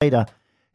Reira,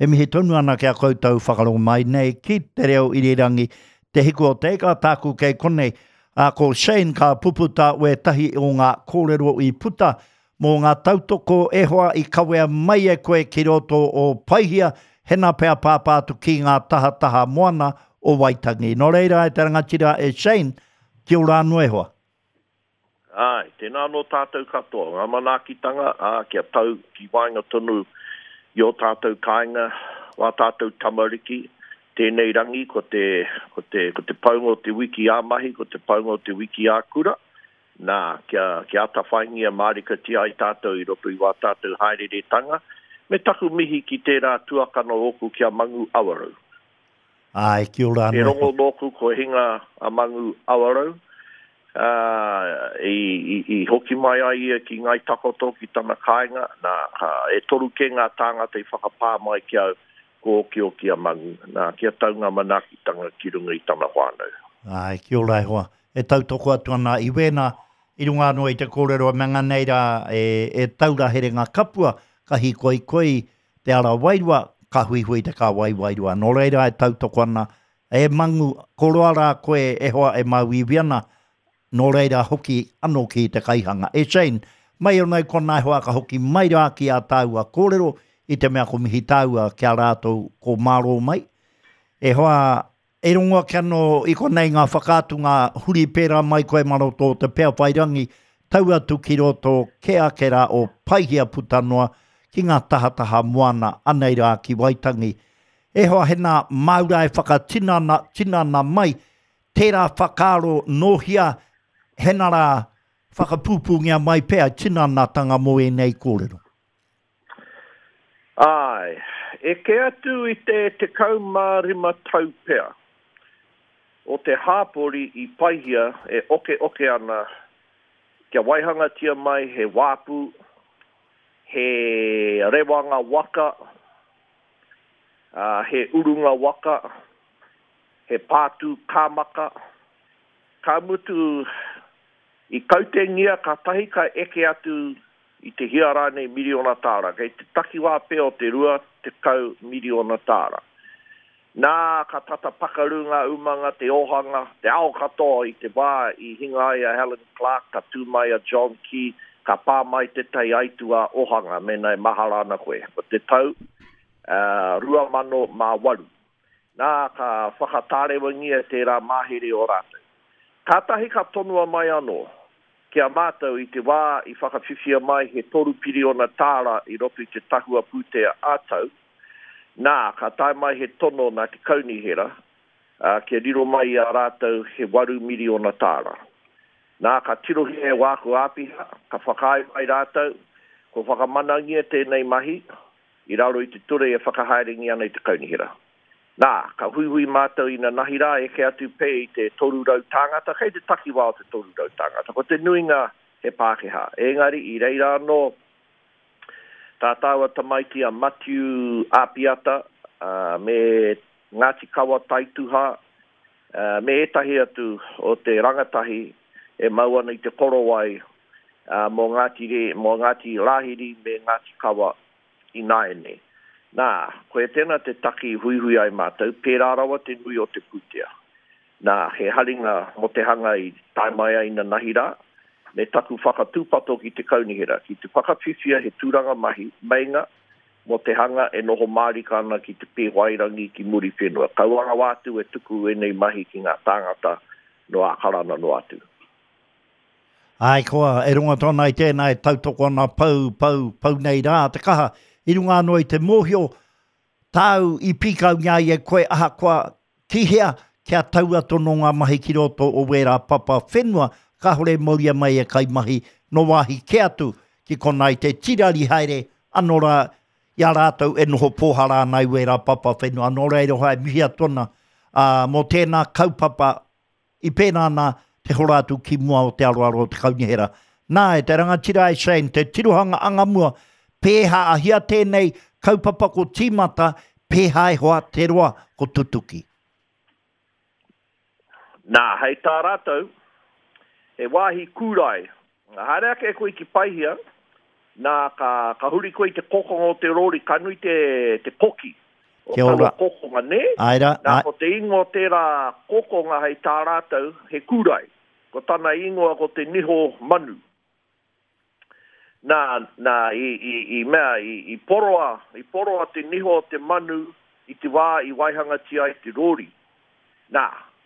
e mihi tonu ana ki a koutou whakarongo mai nei ki te reo irirangi, Te Hiku o Te Ika, tāku kei konei. Ā, ko Shane ka puputa wētahi o ngā kōrero i puta mō ngā tautoko e hoa i kawea mai e koe ki roto o Paihia, hena pea pāpā atu ki ngā tahataha moana o Waitangi. Nō reira e te rangatira e Shane, kia ora anō e hoa. Āe, tēnā anō tātou katoa, ngā manaakitanga, ā, kia tau ki waenga tonu i ō tātou kāinga, wā tātou tamariki, tēnei rangi ko te, ko te, ko te paunga o te wiki ā-mahi, ko te paunga o te wiki ā-kura, nā, kia, kia atawhaingia mārikatia ai tātou i roto i wā tātou haereretanga, me taku mihi ki tērā tuakana ōku ki a Mangu Awarau. Āe, kia ora anō. He rongo nōku kua hinga a Mangu Awarau, ā, i, i, i hoki mai ai ia ki Ngāi Takoto, ki tana kāinga, nā, ka, e toru kē ngā tāngata i whakapā mai ki au, kua okioki a Mangu, nā, kia tau ngā manaakitanga ki runga i tana whānau. Āe, kia ora e hoa. E tautoko atu ana i wēnā, i runga anō i te kōrero a Manga nei rā, e, e taura herenga kapua, ka hīkoikoi te ara wairua, ka huihui te kāwai wairua. Nō reira e tautoko ana, e Mangu, ko roa rā koe e hoa e māuiui ana, nō reira hoki anō ki te kaihanga. E Shane, mai anō i konā e hoa ka hoki mai rā ki ā tāua kōrero, i te mea ko mihi tāua ki a rātou ko mārō mai. E hoa, E rongo ake anō i konei ngā whakaatunga huri pērā mai koe mā roto o te Peawhairangi, tau atu ki roto kē ake rā o Paihia puta noa ki ngā tahataha moana anei rā ki Waitangi. E hoa hena māu rā e whakatinana tinana mai tērā whakaaro nōhia hena rā whakapūpūngia mai pea tinanatanga mō ēnei kōrero. Āe, eke atu i te 15 tau pea o te hāpori i Paihia e okeoke ana kia waihangatia mai he wāpu, he rewanga waka, ā, he urunga waka, he pātū kāmaka, ka mutu i kautengia kātahi ka eke atu i te hia rānei miriona tāra, kei te takiwā pea o te 20 miriona tāra. Nā, ka tata pakaru ngā umanga, te ōhanga, te ao katoa i te wā i hinga ai a Helen Clark, ka tū mai a John Key, ka pā mai tētahi aituā ōhanga, mēnā e mahara ana koe, ko te tau 2008. Nā, ka whakatārewangia tērā mahere o rātou. Kātahi ka tonoa mai anō. Ki a mātou, i te wā i whakawhiwhia mai he toru piriona tāra i roto i te tahua pūtea ā-tau, nā, ka tae mai he tono nā te kaunihera, ā, kia riro mai i a rātou he waru miriona tāra. Nā, ka tirohia e wāku āpiha, ka whakaae mai rātou, kua whakamanangia tēnei mahi i raro i te ture e whakahaerengia ana i te kaunihera. Nā, ka huihui mātou inanahi rā, eke atu pea i te 300 tāngata, kei te takiwā o te 300 tāngata. Ko te nuinga he Pākehā. Engari, i reira anō tā tāua tamaiti a Matiu Apiata, me Ngāti Kawa Taituha, me ētahi atu o te rangatahi e mau ana i te korowai mō Ngāti mō Ngāti Rāhiri me Ngāti Kawa ināianei. Nā, koia tēnā te take i huihui ai mātou, pērā rawa te nui o te pūtea. Nā, he haringa mō te hanga i tae mai ai nanahi rā, me taku whakatūpato ki te kaunihera, ki te whakawhiwhia he tūranga mahi, meinga, mō te hanga e noho mārika ana ki te Pēwhairangi ki Muriwhenua. Kaua rawa atu e tuku ēnei mahi ki ngā tāngata nō Ākarana noa atu. Āe koa, e rongo atu ana i tēnā e tautoko ana pau, pau, pau nei rā te kaha i runga anō i te mōhio tāu i pīkaungia ai e koe ahakoa ki hea kia taua tono ngā mahi ki roto o wērā papa whenua kāore e mauria mai e kaimahi nō wāhi kē atu ki konā i te tirari haere anō rā i a rātou e noho pōhara ana i wērā papa whenua nō reira hoa e mihi atu ana ā, mō tēnā kaupapa I pērā nā te hora atu ki mua o te aroaro o te kaunihera. Nā, e te rangatira e Shane, te tirohanga angamua, pēhā ahia tēnei kaupapa ko tīmata, pēhā e hoa te roa ko tutuki. Nā, hei tā rātou, he wāhi kūrae. Haere ake koe ki Paihia, Nā, ka, ka huri koe i te kokonga o te rōri, ka nui te, te koki o Kia ora. taua kokonga, nē? Āe rā, Nā, āe. ko te ingoa o tērā kokonga hei tā rātou, he kūrae. Ko tana ingoa ko te niho manu. Nā, nā, i, i, i mea, i, i poroa, i poroa te niho o te manu i te wā i waihangatia ai te rōri. Nā,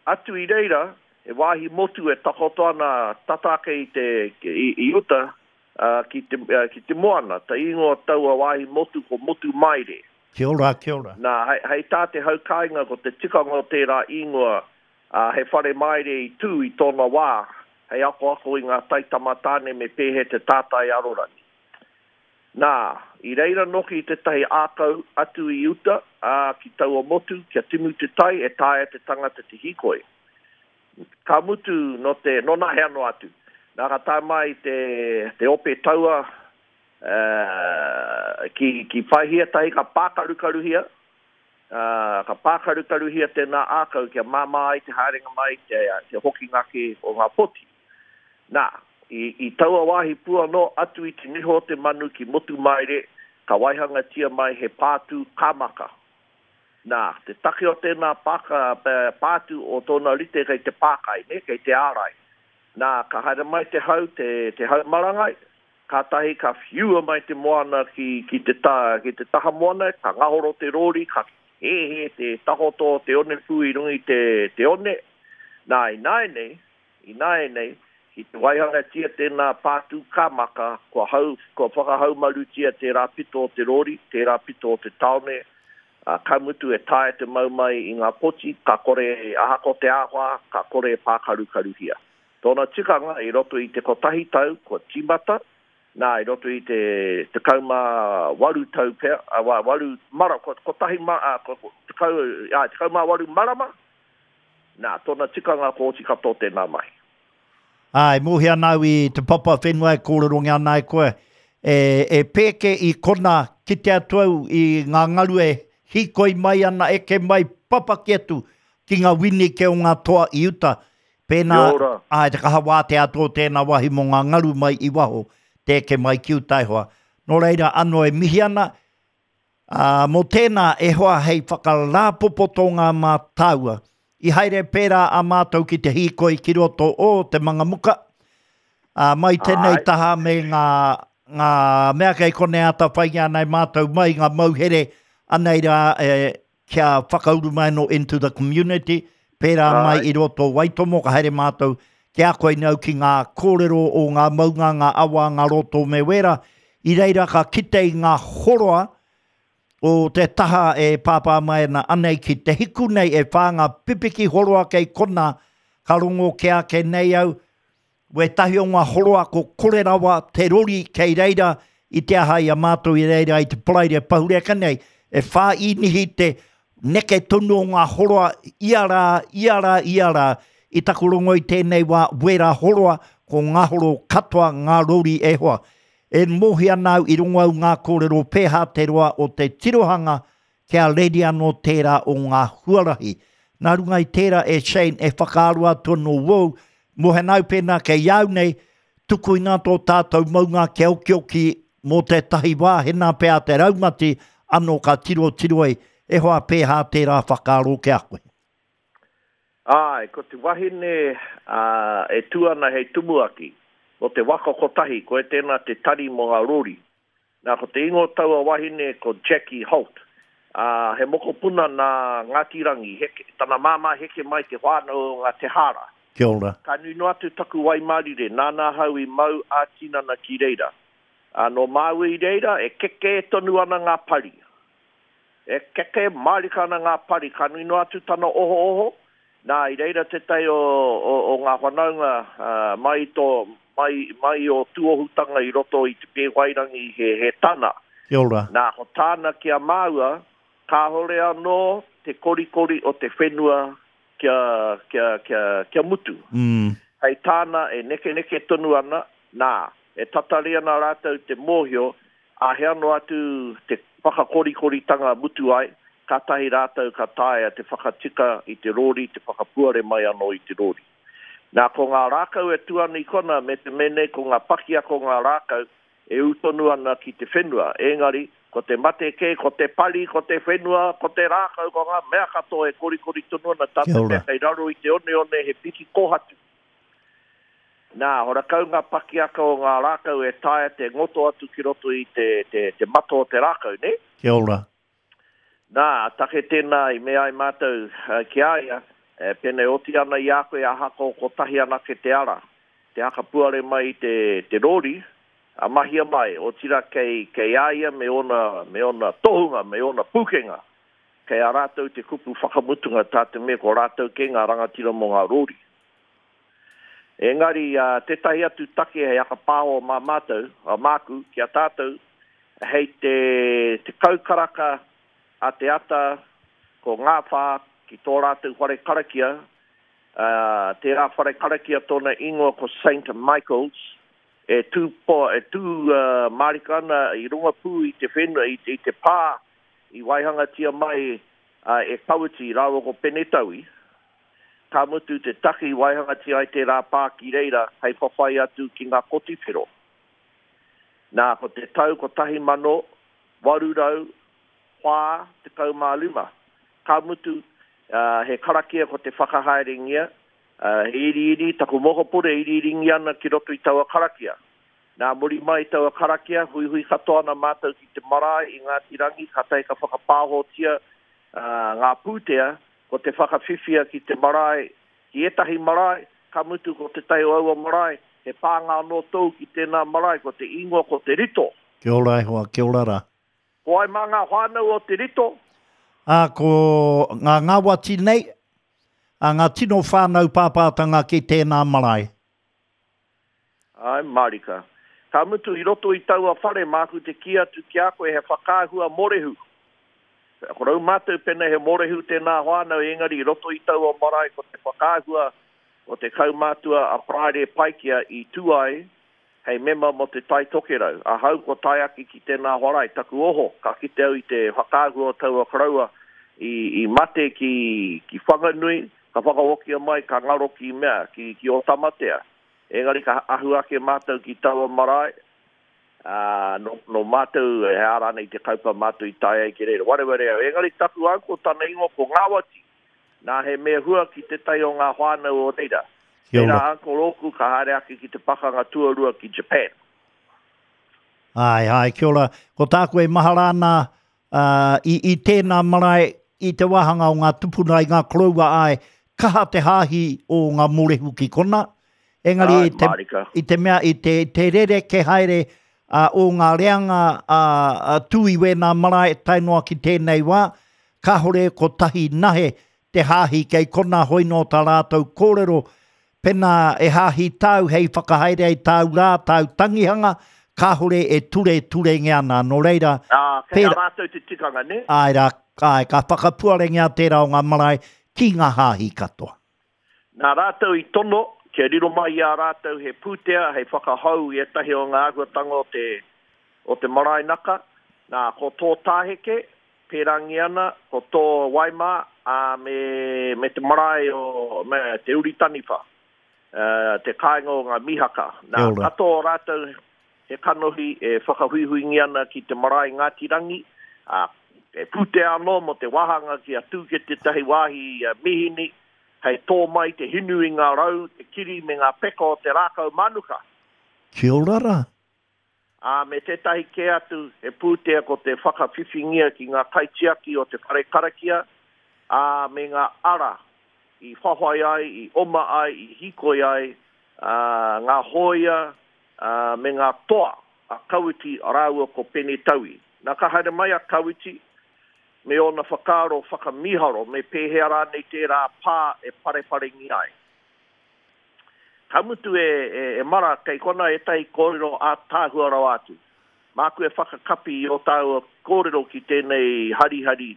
atu i reira, he wāhi motu e takoto ana tata ake i te, i, i uta, ā, ki te, ā, ki te moana. Te ingoa o taua wāhi motu ko Motu Maire. Kia ora, kia ora. Nā, hei, hei tā te hau kāinga ko te tikanga o tērā ingoa, ā, he whare maire i tū i tōna wā hei akoako i ngā taitama tāne me pēhea te tātai arorangi. Nā, i reira noki tētahi ākau atu i uta, ā, ki taua motu, kia timu te tai e taea te tangata te hīkoi. Ka mutu nō te, nōnahea noa atu. Nā, ka tae mai te, te ope taua, ā, ki, ki Paihia tahi ka pākarukaruhia, Ā, ka pākarukaruhia tēnā ākau kia māmā ai te haerenga mai, te, te hokinga ake o ngā poti. Nā, i, i taua wāhi pū anō, atu i te niho o te manu ki Motumaire, ka waihangatia mai he pātū kāmaka. Nā, te take o tēnā pāka, pātū o tōna rite kei te pākai, nē, kei te ārai. Nā, ka haere mai te hau, te, te hau marangai, Kātahi ka whiua mai te moana ki, ki te ta, ki te taha moana, ka ngahoro te rōri, ka hēhē te takoto o te onepū i runga i te, te one. Nā, ināianei, ināianei, ki te waihangatia tēnā pātū kāmaka, kua hau, kua whakahaumarutia tērā pito o te rōri, tērā pito o te tāone, ā, ka mutu e taea te mau mai i ngā poti, ka kore, ahakoa te āwhā, ka kore e pākarukaruhia. Tōna tikanga, i roto i te kotahi tau kua tīmata, nā, i roto i te 18 tau pea, ā, waru mara, kotahi ma, ā, tekau, āe, 18 marama, nā, tōna tikanga kua oti katoa tēnā mahi. Ā, e mōhio ana au i te papa whenua e kōrerongia ana e koe, e, e pēke i konā kite atu au i ngā ngaru e hīkoi mai ana, eke mai, papaki atu ki ngā winike o ngā toa i uta, Pēnā, Kia ora. āe, te kaha wātea atu o tēnā wāhi mō ngā ngaru mai i waho, te eke mai ki uta e hoa. Nō reira, anō e mihi ana, ā, mō tēnā e hoa hei whakarāpopotonga mā tāua. I haere pērā a mātou ki te hīkoi ki roto o Te Mangamuka, ā, mai tēnei Āe. taha me ngā, ngā mea kei konei āta whaingia ana e mātou mai ngā mauhere, anei rā e, kia whakauru mai anō into the community, pērā mai i roto o Waitomo, ka haere mātou ki a koe nei au ki ngā kōrero o ngā maunga, ngā awa, ngā roto me wērā. I reira ka kite i ngā horoa o te taha e pāpā mai ana anei ki te hiku nei e whā ngā pipiki horoa kei konā, ka rongo kē ake nei au, Wētahi o ngā horoa ko kore rawa te rori kei reira i te aha i a mātou i reira i te Paraire Pahureka nei, e whāīnihi te neke tonu o ngā horoa ia rā, ia rā, ia rā. I taku rongo i tēnei wā, wērā horoa, ko ngā horo katoa ngā rori e hoa. E mōhio ana au i rongo au ngā kōrero pēhā te roa o te tirohanga Kia reri anō tērā o ngā huarahi. Nā runga i tērā e Shane e whakaaro atu anō wou, mō au pēnā kei au nei, tukuina tō tātou maunga kia okioki mō tētahi wā, hēnā pea te raumati anō ka tirotiro ai, e hoa pēhā tērā whakaaro ki a koe. Āe, ko te wahine e tū ana hei tumuaki mō te waka kotahi, koe tēnā te tari mō ngā rori. Nā, ko te ingoa o taua wahine ko Jackie Holt, ā, he mokopuna nā Ngāti Rangi, heke, tana māmā heke mai te whānau o ngā Te Hāra. Kia ora. Ka nui noa atu taku waimarire, nāna ahau i mau ā-tinana ki reira. Ā, nō māua i reira, e kekē tonu ana ngā pari. E keke mārika ana ngā pari, ka nui noa atu tana ohooho, nā, i reira tētahi o, o, o ngā whanaunga, ā, mai i tō, mai, mai i ō tūohutanga i roto i Te Pēwhairangi he, he tana. Kia ora. Nā, ko tāna ki a māua, kāore anō te korikori o te whenua kia, kia, kia, kia mutu. Mm. Hei tāna e nekeneke tonu ana, nā, e tatari ana rātou te mōhio Āhea noa atu te whakakorikoritanga mutu ai, kātahi rātou ka taea te whakatika i te rōri, te whakapuare mai anō i te rōri. Nā, ko ngā rākau e tū ana i konā, me te mea nei ko ngā pakiaka o ngā rākau, E ū tonu ana ki te whenua. Engari, ko te mate kē, ko te pari, ko te whenua, ko te rākau, ko ngā mea katoa e korikori tonu ana, tā te mea kei raro i te oneone he piki kōhatu. Nā, horakau ngā pakiaka o ngā rākau e taea te ngoto atu ki roto i te, te, te mata o te rākau, nē? Kia ora. Nā, take tēnā i mea ai mātou ki a ia, pēnei oti ana i a koe ahakoa kotahi anake te ara, te hakapuare mai i te, te rōri, a mahia mai, otirā kei, kei a ia me ōna, me ōna tohunga, me ōna pūkenga, kei a rātou te kupu whakamutunga tā te mea ko rātou kē ngā rangatira mō ngā rōri. Engari, tētahi atu take hei whakapāho mā mātou, māku, ki a tātou, hei te 10 karaka a te ata ko Ngāwhā ki tō rātou whare karakia, tērā whare karakia tōna ingoa ko Saint Michael's, e tū, e tū mārika ana i runga pū i te whenua, i te pā i waihangatia mai e Kawiti rāua ko Penetaui. Ka mutu te take i waihangatia ai tērā pā ki reira hei whawhai atu ki ngā kotiwhero. Nā, ko te tau 1845, ka mutu, he karakia ko te whakahaerengia, he iriiri, taku mokopuna e iriiringia ana ki roto i taua karakia. Nā, muri mai i taua karakia, huihui katoa ana mātou ki te marae i Ngāti Rangi, kātahi ka whakapāhotia ngā pūtea Ko te whakawhiwhia ki te marae, ki ētahi marae, ka mutu ko tētahi o aua marae, he pānga anō tōu ki tēnā marae, ko te ingoa ko Te Rito. Kia ora e hoa, kia ora rā. Ko wai mā ngā whānau o Te Rito? Ā, ko ngā ngāwati nei, ā, ngā tino whānau pāpātanga ki tēnā marae. Āe mārika. Ka mutu i roto i taua whare māku te kī atu ki a koe he whakaahua morehu. Ko rau mātou pena he morehu tēnā whānau engari i roto i taua marae ko te whakaahua o te kaumātua a Paraire Paikea i tū ai hei mema mō Te Tai Tokerau. Ahau kua tae ake ki tēnā wharae, taku oho, ka kite au i te whakaahua o taua koroua i, i mate ki, ki Whanganui, Ka whakahokia mai, ka ngaro ki mea, ki, ki Ōtamatea. Engari ka ahu ake mātou ki taua marae, ā, nō, nō mātou, he aha rānei te kaupapa mātou i tae ai ki reira. Wareware au. Engari taku uncle, tana ingoa ko Ngāwati. Nā, he mea hua ki tētahi o ngā whānau o reira. Kia Tērā ora. uncle ōku ka haere ake ki te pakanga tuarua ki Japan. Āe, āe, kia ora. Ko tāku e mahara ana, ā, i, i tēnā marae, i te wāhanga o ngā tupuna, i ngā koroua, āe, kaha te hāhi o ngā mōrehu ki kona, engari Āe, i te, mārika. i te mea, i te, te rerekē haere, ā, o ngā reanga, ā, ā, tū i wēnā marae tae noa ki tēnei wā, kāhore kotahi nahe te hāhi kei kona hoi nō tā rātou kōrero, pena e hāhi tāu hei whakahaere ai tāu rā, tāu tangihanga, kāhore e ture turengia ana, nō reira, Ā, kei a pēra, rātou te tikanga, nē? āe rā, āe, ka whakapuarengia tērā o ngā marae ki ngā hāhi katoa. Nā rātou i tono kia riro mai i a rātou he pūtea hei whakahou i ētahi o ngā āhuatanga o te, o te marae naka, nā, ko tō Tāheke, pērangi ana, ko tō Waimā, ā, me, me te marae o, me Te Uri Taniwha, ā, te kāinga o ngā Mihaka. Nā, Kia ora. katoa o rātou he kanohi e whakahuihuingia ana ki te marae Ngāti Rangi, ā, he pūtea anō mō te wāhanga kia tū ki tētahi wāhi mīhini hei tō mai te hinu i ngā rau, te kiri me ngā peka o te rākau mānuka. Kia ora rā. Ā, me tētahi kē atu, he pūtea ko te whakawhiwhingia ki ngā kaitiaki o te whare karakia, ā, me ngā ara i whawhai ai, i oma ai, i hīkoi ai, ā, ngā hōia, ā, me ngā toa a Kawiti rāua ko Pene Taui. Nā, ka haere mai a Kawiti me ōna whakaaro whakamīharo me pēhea rānei tērā pā e pareparengia ai. Ka mutu e, e, e mara, kei kona ētahi kōrero ātaahua rawa atu. Māku e whakakapi i ō tāua kōrero ki tēnei harihari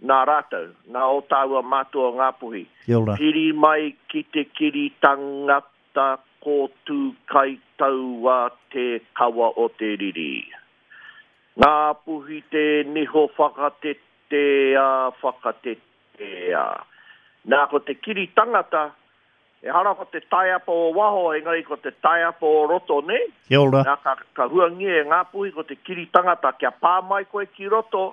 nā rātou, nā ō tāua mātua o Ngāpuhi. Kia ora. Piri mai ki te kiri tangata ko Tūkaitaua te kawa o te riri. Ngāpuhi te niho whakatetea, whakatetea. Nā, ko te kiri tangata. Ehara ko te taiapa o waho, engari ko te taiapa o roto, nē? Kia ora. Nā, ka, ka huangia e Ngāpuhi ko te kiri tangata, kia pā mai koe ki roto,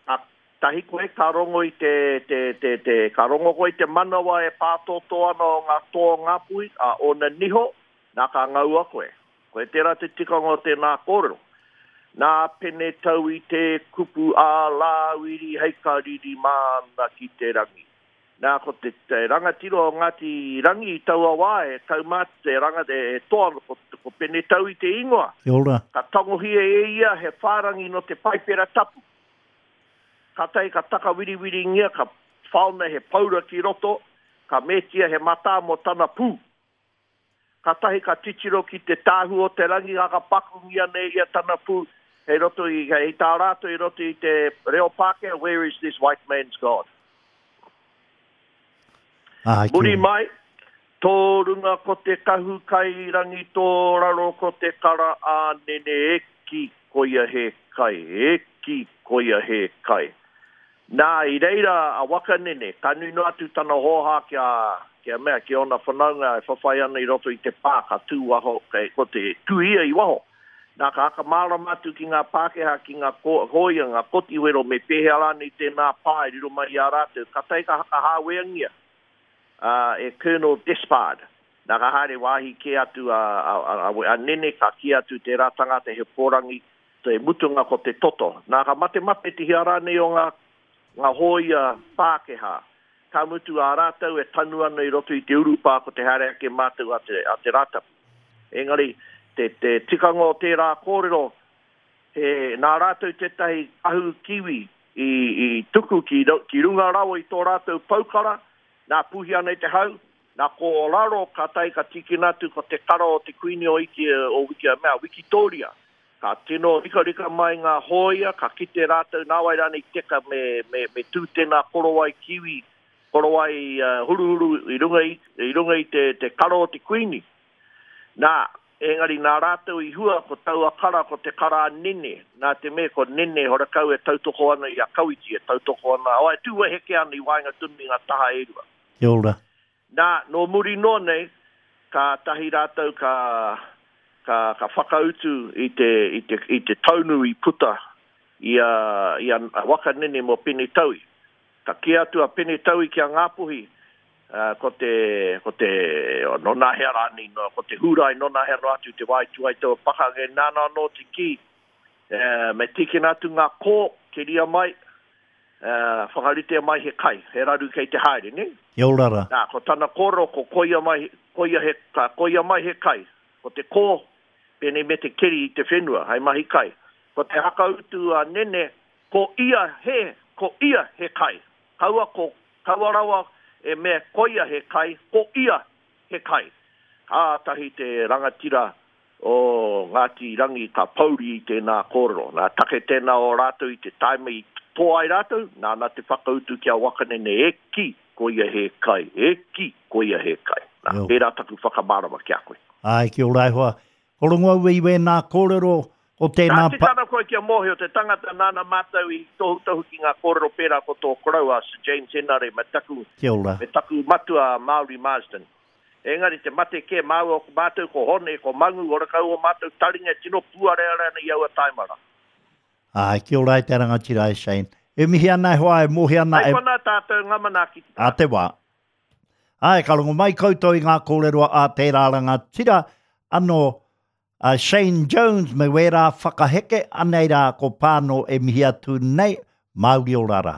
ka tahi koe ka rongo i te, te, te, te, ka rongo koe i te manawa e pātōtō ana o ngā toa o Ngāpuhi, ā, ōna niho, nā, ka ngaua koe. Koe tērā te tikanga o tēnā kōrero. Nā Pene Taui te kupu ā Rāwiri hei kariri māna ki te rangi. Nā, ko te, te rangatira o Ngāti Rangi i taua wā, he kaumātua, he rangata, he toa, ko, ko Pene Taui te ingoa. Kia ora. Ka tangohia e ia he whārangi nō te Paipera Tapu. Kātahi ka takawiriwiringia, ka whaona he paura ki roto, ka metia he matā mō tana pū. Kātahi ka titiro ki te tāhu o te rangi ka pakungia nei ia tana pū hei roto i, hei tā rātou i roto i te reo Pākehā, Where is this white man's God? Āe, kia Muri ora. mai, tō runga ko te kahu kai rangi tō raro ko te kara ānene e kī koia he kai, e kī koia he kai. Nā, i reira a Wakanene, ka nui noa atu tana hōhā ki a, ki a mea, ki ōna whanaunga e whawhai ana i roto i te pā, ka tū waho, kei, ko te tū ia i waho. Nā, ka hakamārama atu ki ngā Pākehā, ki ngā ko, hōia, ngā kotiwero, me pēhea rānei tēnā pā e riro mai i a rātou. Kātahi ka hakahāweangia, ā, e Colonel Despard. Nā, ka haere wāhi kē atu a, a, a, a Nene, ka kī atu tērā tangata he pōrangi, Te mutunga ko te toto. Nā, ka matemate te hia rānei o ngā, ngā hōia Pākehā. Ka mutu ā rātou e tanu ana i roto i te urupā ko te haere ake mātou a te, a te Rātapu. Engari, te, te tikanga o tērā kōrero, he, nā rātou tētahi kahu kiwi i, i tuku ki, ki runga rawa i tō rātou poukara, nā, puhi ana i te hau, Nā ko raro ka tae ka tīkina atu ko te kara o te Kuini o Iti o Wiki mea Wikitōria. Ka tino rikarika mai ngā hōia, ka kite rātou nāwai rānei teka me me me tū tēnā korowai kiwi, korowai huruhuru i runga i i runga i te te kara o te Kuini. Nā, engari nā rātou i hua ko taua kara ko te kara a Nene, nā te mea ko Nene horakau e tautoko ana i a Kawiti, e tautoko ana, oh e tū weheke ana i waenga tonu i ngā taha e rua. Kia ora. Nā, nō muri noa nei, kātahi rātou ka, ka, ka whakautu i te, i te, i te taunu i puta i a, i a Waka Nene mō Pene Taui. Ka kī atu a Pene Taui ki a Ngāpuhi, ā, ko te, ko te, nōnahea rānei, nō, ko te Hūrae nōnahea noa atu te wā i tū ai taua pakanga, nāna anō te kī, ā, me tīkina atu ngā kō, keria mai, Ā, whakaritea mai he kai, he raru kei te haere, nē? Kia ora rā. Nā, ko tana kōrero, ko koia mai, koia he, ka koia mai he kai. Ko te kō, pēnei me te keri i te whenua, hei mahi kai. Ko te hakautu a Nene, ko ia he, ko ia he kai. Kaua ko, kaua rawa e mea koia he kai, ko ia he kai. Kātahi te rangatira o Ngāti Rangi ka pouri i tēnā kōrero. Nā take tēnā o rātou i te taima i tō ai rātou, nāna te whakautu ki a Wakanene, e kī, koia he kai, e kī, koia he kai. Nā, tērā taku whakamārama ki a koe. Āe, kia ora e hoa. Ko rongo au i wēnā kōrero o tēnā pa. Ka tika ana koe kia mōhio te tangata nāna mātou i tohutohu ki ngā kōrero pērā ko tō koroua a Sir James Henare me taku, Kia ora. me taku matua a Māori Marsden. Engari te mate kē māua ko mātou ko Hone, ko Mangu, horakau ō mātou taringa e tino pūareare ana i aua taima rā. Āe, kia ora e te rangatira e Shane. E mihi ana e hoa, e mohi ana e. Hei konā tātou ngā manaakitanga. Ā te wā. Āe, ka rongo mai koutou i ngā kōrero a tērā rangatira anō a Shane Jones me wērā whakaheke, anei rā ko Pāno e mihi atu nei, Māori ora rā.